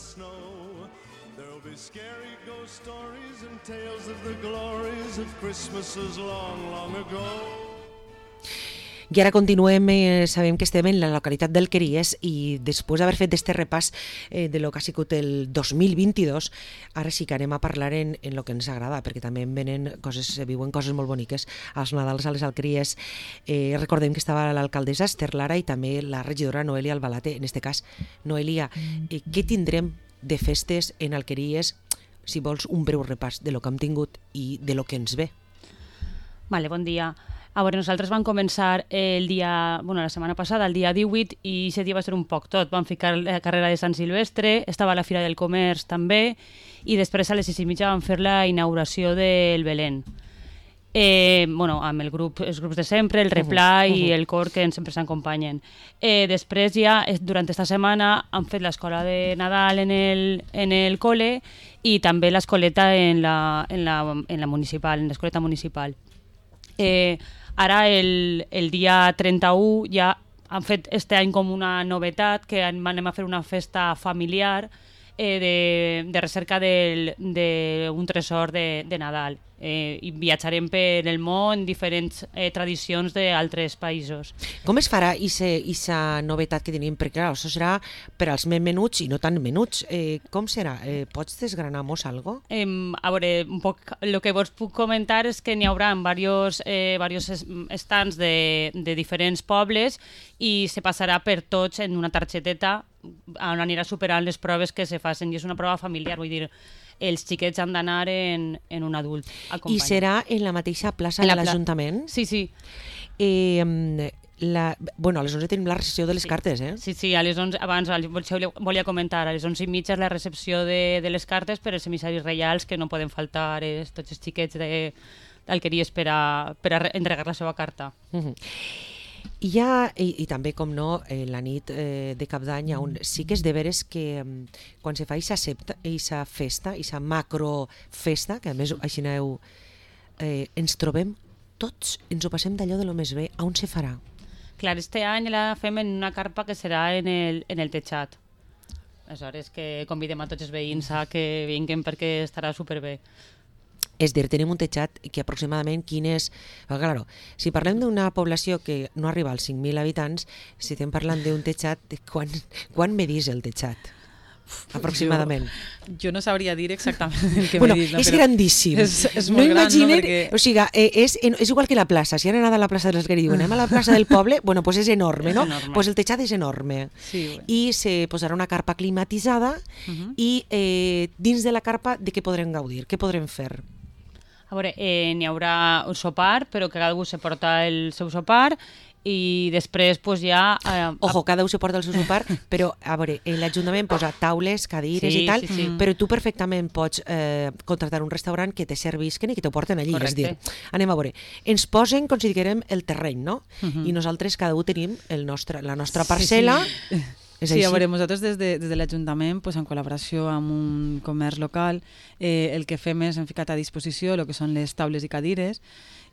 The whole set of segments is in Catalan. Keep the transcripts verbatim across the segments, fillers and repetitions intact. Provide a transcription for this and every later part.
snow. There'll be scary ghost stories and tales of the glories of Christmases long, long ago. I ara continuem, eh, sabem que estem en la localitat d'Alqueries i després d'haver fet este repàs eh, de lo que ha sigut el dos mil vint-i-dos, ara sí que anem a parlar en, en lo que ens agrada, perquè també en venen coses, se viuen coses molt boniques als Nadals a les Alqueries. Eh, recordem que estava l'alcaldessa Esther Lara i també la regidora Noelia Albalate. En este cas, Noelia, eh, què tindrem de festes en Alqueries? Si vols un breu repàs de lo que hem tingut i de lo que ens ve. Vale, bon dia. A veure, nosaltres vam començar el dia, bueno, la setmana passada, el dia divuit, i aquest dia va ser un poc tot. Vam ficar la carrera de Sant Silvestre, estava la Fira del Comerç també, i després a les sis i mitja vam fer la inauguració del Belén. Eh, bueno, amb el grup, els grups de sempre, el Replà uh -huh. i el cor que sempre s'acompanyen. Eh, després ja, durant aquesta setmana, han fet l'escola de Nadal en el, en el col·le i també l'escoleta en la, en la, en la municipal, en l'escoleta municipal. Eh, ara el, el dia trenta-u ja han fet este any com una novetat que anem a fer una festa familiar eh, de, de recerca d'un tresor de, de Nadal. Eh, i viatjarem per el món, diferents eh, tradicions d'altres països. Com es farà aquesta novetat que tenim? Perquè clar, això serà per als més menuts i no tan menuts. Eh, com serà? Eh, pots desgranar-nos alguna cosa? Eh, a veure, un poc, el que vos puc comentar és que n'hi haurà diversos eh, stands de, de diferents pobles i se passarà per tots en una targeteta on anirà superant les proves que se facin, i és una prova familiar, vull dir, els xiquets han d'anar en, en un adult acompanyat. I serà en la mateixa plaça de l'Ajuntament? Sí, sí. Eh, la, bueno, a les onze tenim la recepció de les sí. cartes, eh? Sí, sí, a les onze, abans volia comentar, a les onze i mitja és la recepció de, de les cartes per als emissaris reials, que no poden faltar és, tots els xiquets d'Alqueries per, a, per a entregar la seva carta. Uh-huh. I, ja, i, i també, com no, eh, la nit eh, de Cap d'Any, on sí que és de veres que eh, quan se fa aquesta festa, aquesta macrofesta, que a més així aneu, eh, ens trobem tots, ens ho passem d'allò de lo més bé. On se farà? Clar, este any la fem en una carpa que serà en el, en el tejat. Aleshores que convidem a tots els veïns a que vinguin perquè estarà superbé. És dir, tenim un tejat que aproximadament quin és... Claro, si parlem d'una població que no arriba als cinc mil habitants, si estem parlant d'un tejat, quan, quan medís el tejat? Aproximadament. Jo, jo no sabria dir exactament el que bueno, medís. No, és grandíssim. És, és no molt imaginen, gran, no? Perquè... O sigui, és, és igual que la plaça. Si han anat a la plaça de l'Esquerra i diuen anem a la plaça del poble, bueno, pues és enorme, no? Enorme. Pues el tejat és enorme. Sí, bueno. I se posarà una carpa climatitzada uh -huh. i eh, dins de la carpa de què podrem gaudir? Què podrem fer? A veure, eh, n'hi haurà un sopar, però que cada un se porta el seu sopar, i després pues, ja... Eh, Ojo, cada un se porta el seu sopar, però a veure, l'Ajuntament posa taules, cadires sí, i tal, sí, sí. però tu perfectament pots eh, contractar un restaurant que te servisquen i que t'ho porten allí. Correcte. És dir, anem a veure, ens posen, com si diguem, el terreny, no? Uh -huh. I nosaltres cada un tenim el nostre, la nostra parcel·la. Sí, sí. És sí, així? a veure, nosaltres des de, des de l'Ajuntament, pues, en col·laboració amb un comerç local, eh, el que fem és hem ficat a disposició el que són les taules i cadires,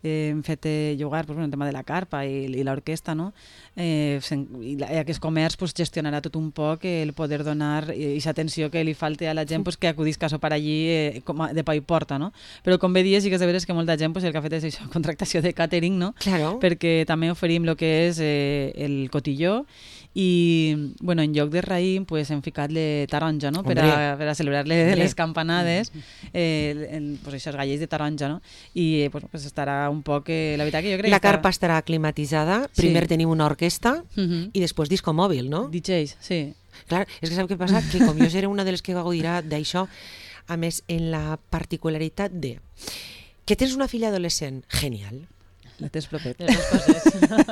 eh, hem fet eh, llogar pues, bueno, el tema de la carpa i, i l'orquestra, no? eh, i, la, i aquest comerç pues, gestionarà tot un poc el poder donar aquesta atenció que li falta a la gent pues, que acudisca a sopar allí eh, com a, de pa i porta, no? Però com bé dies, sí que és de veres que molta gent pues, el que ha fet és això, contractació de catering, no? Claro. Perquè també oferim el que és eh, el cotilló, i bueno, en lloc de raïm pues, hem ficat la taronja, no? per, a, per a celebrar les, les campanades, eh, en, pues, aquests gallets de taronja, no? I eh, pues, pues, estarà un poc eh, la veritat que jo crec la que carpa estarà... estarà climatitzada, primer sí. tenim una orquestra uh -huh. i després disco mòbil, no? D Js, sí. Clar, és que sap què passa? Que com jo seré una de les que gaudirà d'això, a més, en la particularitat de que tens una filla adolescent, genial. La tens propet.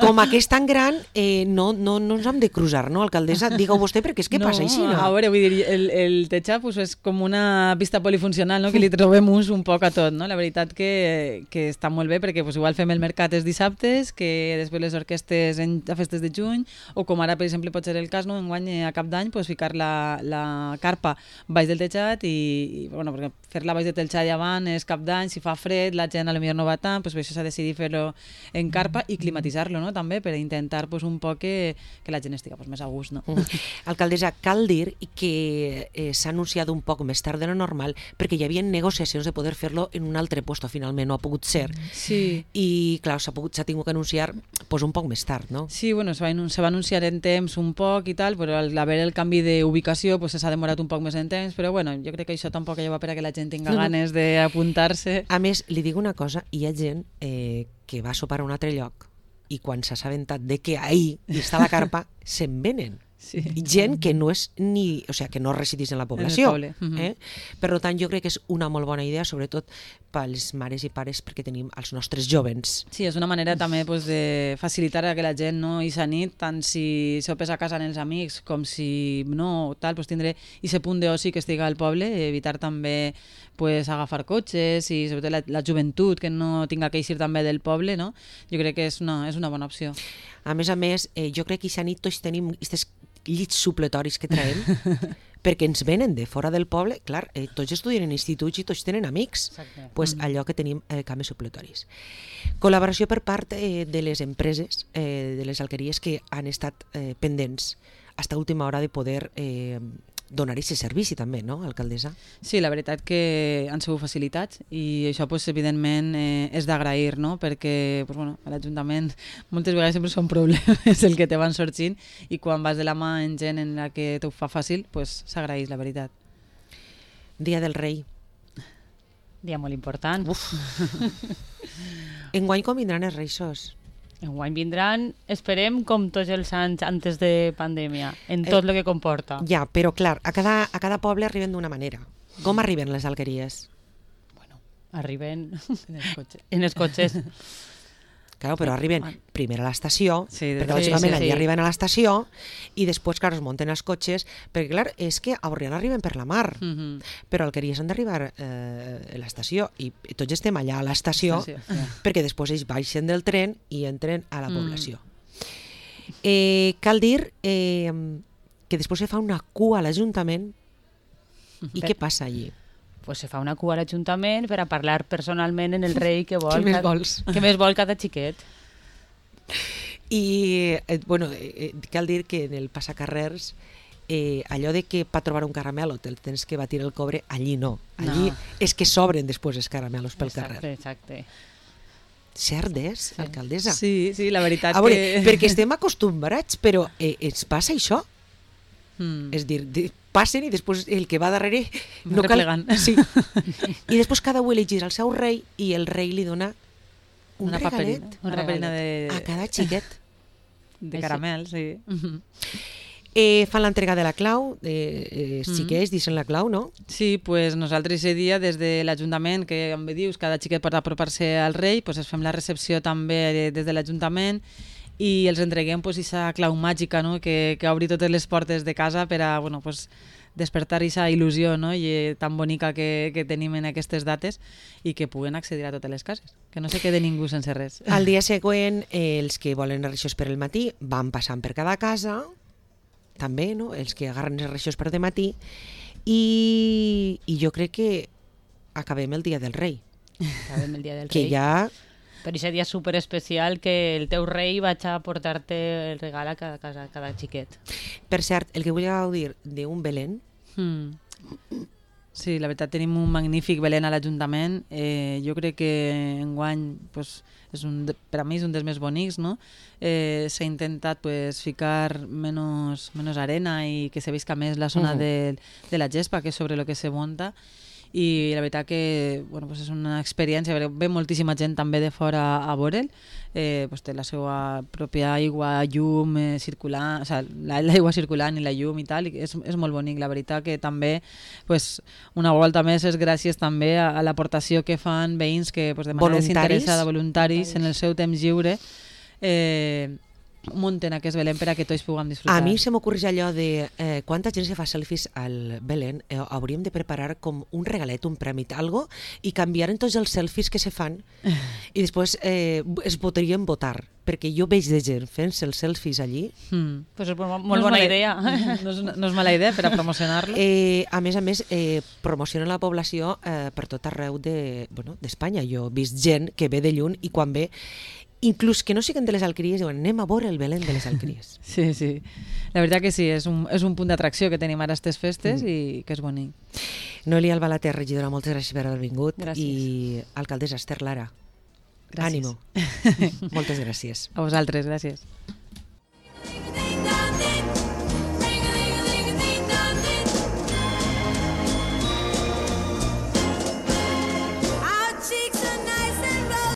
Com que és tan gran, eh, no, no, no ens hem de cruzar, no, alcaldessa? Digue-ho vostè, perquè és que no, passa així, no? A veure, vull dir, el, el tejat pues, és com una pista polifuncional, no? Que li trobem ús un poc a tot, no? La veritat que, que està molt bé, perquè pues, igual fem el mercat els dissabtes, que després les orquestes en, a festes de juny, o com ara, per exemple, pot ser el cas, no? Enguany a cap d'any, pues, ficar la, la carpa baix del tejat i, i bueno, perquè fer-la baix del tejat llevant és cap d'any, si fa fred, la gent potser no va tant, pues, per això s'ha decidit fer-ho en carpa i climatitzar-lo, no? També per intentar pues, un poc que, que la gent estigui pues, més a gust. No? Alcaldessa, cal dir que eh, s'ha anunciat un poc més tard de lo normal perquè hi havia negociacions de poder fer-lo en un altre puesto, finalment no ha pogut ser. Sí. I clar, s'ha pogut, s'ha tingut que anunciar pues, un poc més tard, no? Sí, bueno, se va, se va anunciar en temps un poc i tal, però al haver el canvi d'ubicació pues, s'ha demorat un poc més en temps, però bueno, jo crec que això tampoc lleva per a que la gent tinga ganes d'apuntar-se. A més, li dic una cosa, hi ha gent eh, que va a sopar a un altre lloc i quan s'ha assabentat de que ahí està la carpa, se'n venen. Sí. Gent que no és ni, o sigui, que no residís en la població. En el poble. eh? Per tant, jo crec que és una molt bona idea, sobretot pels mares i pares, perquè tenim els nostres jovens. Sí, és una manera també pues, de facilitar a que la gent no i sa nit, tant si sopes a casa amb els amics com si no, tal, pues, tindré aquest punt d'oci que estiga al poble, evitar també pues, agafar cotxes i sobretot la, la joventut que no tinga que eixir també del poble, no? Jo crec que és una, és una bona opció. A més a més, eh, jo crec que aquesta nit tots tenim aquests llits supletoris que traiem perquè ens venen de fora del poble, clar, eh, tots estudien en instituts i tots tenen amics. Exacte. Pues mm. allò que tenim eh, cames supletoris. Col·laboració per part eh, de les empreses, eh, de les alqueries que han estat eh, pendents fins a última hora de poder eh, donar aquest servici també, no, alcaldessa? Sí, la veritat que han sigut facilitats i això pues, evidentment eh, és d'agrair, no? Perquè pues, bueno, a l'Ajuntament moltes vegades sempre són problemes el que te van sorgint i quan vas de la mà en gent en la que t'ho fa fàcil, pues, s'agraeix, la veritat. Dia del Rei. Dia molt important. Uf. Enguany com vindran els Reixos? Enguany vindran, esperem, com tots els anys antes de pandèmia, en tot el eh, que comporta. Ja, però clar, a cada, a cada poble arriben d'una manera. Com arriben les alqueries? Bueno, arriben en els cotxes. En els cotxes. Claro, però arriben primer a l'estació, sí, perquè lògicament sí, sí, allí sí. arriben a l'estació i després, clar, es munten els cotxes, perquè clar, és que a Borriana arriben per la mar, Mm -hmm. però Alqueries han d'arribar eh, a l'estació i tots estem allà a l'estació Sí, sí. perquè després ells baixen del tren i entren a la població. Mm. Eh, cal dir eh, que després se fa una cua a l'Ajuntament i què passa allí? Pues se fa una cua a l'Ajuntament per a parlar personalment en el rei que vol. Què més cada, vols? Què més vol cada xiquet. I, eh, bueno, eh, cal dir que en el passacarrers eh, allò de que per trobar un caramelo te'l tens que batir el cobre, allí no. Allí No. és que sobren després els caramelos pel Exacte, carrer. exacte. Cert és, sí. Alcaldessa? Sí, sí, la veritat A veure, que... perquè estem acostumbrats, però eh, ens passa això? Mm. És dir, de, passen i després el que va darrere no cal... Replegant. Sí. I després cada un elegirà el seu rei i el rei li dona un una regalet paperina, una paperina de, a cada xiquet. de caramel, sí. Eh, fan l'entrega de la clau, eh, els Mm. xiquets dicen la clau, no? Sí, pues nosaltres aquest dia des de l'Ajuntament, que com bé dius, cada xiquet pot apropar-se al rei, pues es fem la recepció també des de l'Ajuntament i els entreguem pues aquesta clau màgica, no? que, que obri totes les portes de casa per a bueno, pues, despertar aquesta il·lusió, no? I tan bonica que, que tenim en aquestes dates i que puguen accedir a totes les cases, que no se quede ningú sense res. Al dia següent, eh, els que volen els reixos per el matí van passant per cada casa, també, no? Els que agarren els reixos per de matí, i, i jo crec que acabem el dia del rei, Sabem el dia del que rei. ja... Per aquest dia superespecial que el teu rei vaig a portar-te el regal a cada casa, a cada xiquet. Per cert, el que vull gaudir d'un Belén, Mm. Sí, la veritat tenim un magnífic Belén a l'Ajuntament. Eh, jo crec que enguany pues, és un, de- per a mi és un dels més bonics, no? Eh, S'ha intentat pues, ficar menys, menys arena i que se visca més la zona Mhm. de, de la gespa, que és sobre el que se munta. I la veritat que bueno, pues és una experiència, ve moltíssima gent també de fora a veure'l, eh, pues té la seva pròpia aigua, llum eh, circulant, o sigui, la- l'aigua circulant i la llum i tal, i és, és molt bonic. La veritat que també pues, una volta més és gràcies també a, a l'aportació que fan veïns que pues, de manera Voluntaris. desinteressada, voluntaris, en el seu temps lliure, eh, munten aquest Belén per a que tots puguem disfrutar. a mi se m'ocorreix allò de eh, quanta gent se fa selfies al Belén, eh, hauríem de preparar com un regalet, un premi, algo, i canviar en tots els selfies que se fan i després eh, es podrien votar, perquè jo veig de gent fent-se els selfies allí. Mm. Pues és molt, No molt és bona mala- idea. No és, una- no és mala idea per a promocionar-lo. Eh, a més a més, eh, promocionen la població eh, per tot arreu de, bueno, d'Espanya. Jo he vist gent que ve de lluny i quan ve inclús que no siguen de les Alqueries, diuen anem a veure el Belén de les Alqueries. Sí, sí. La veritat que sí, és un, és un punt d'atracció que tenim ara aquestes festes mm. i que és bonic. Noelia Albalater, regidora, moltes gràcies per haver vingut. Gràcies. I alcaldessa Esther Lara, Gràcies. ànimo. Moltes gràcies. A vosaltres, gràcies. Ding, ding, ding.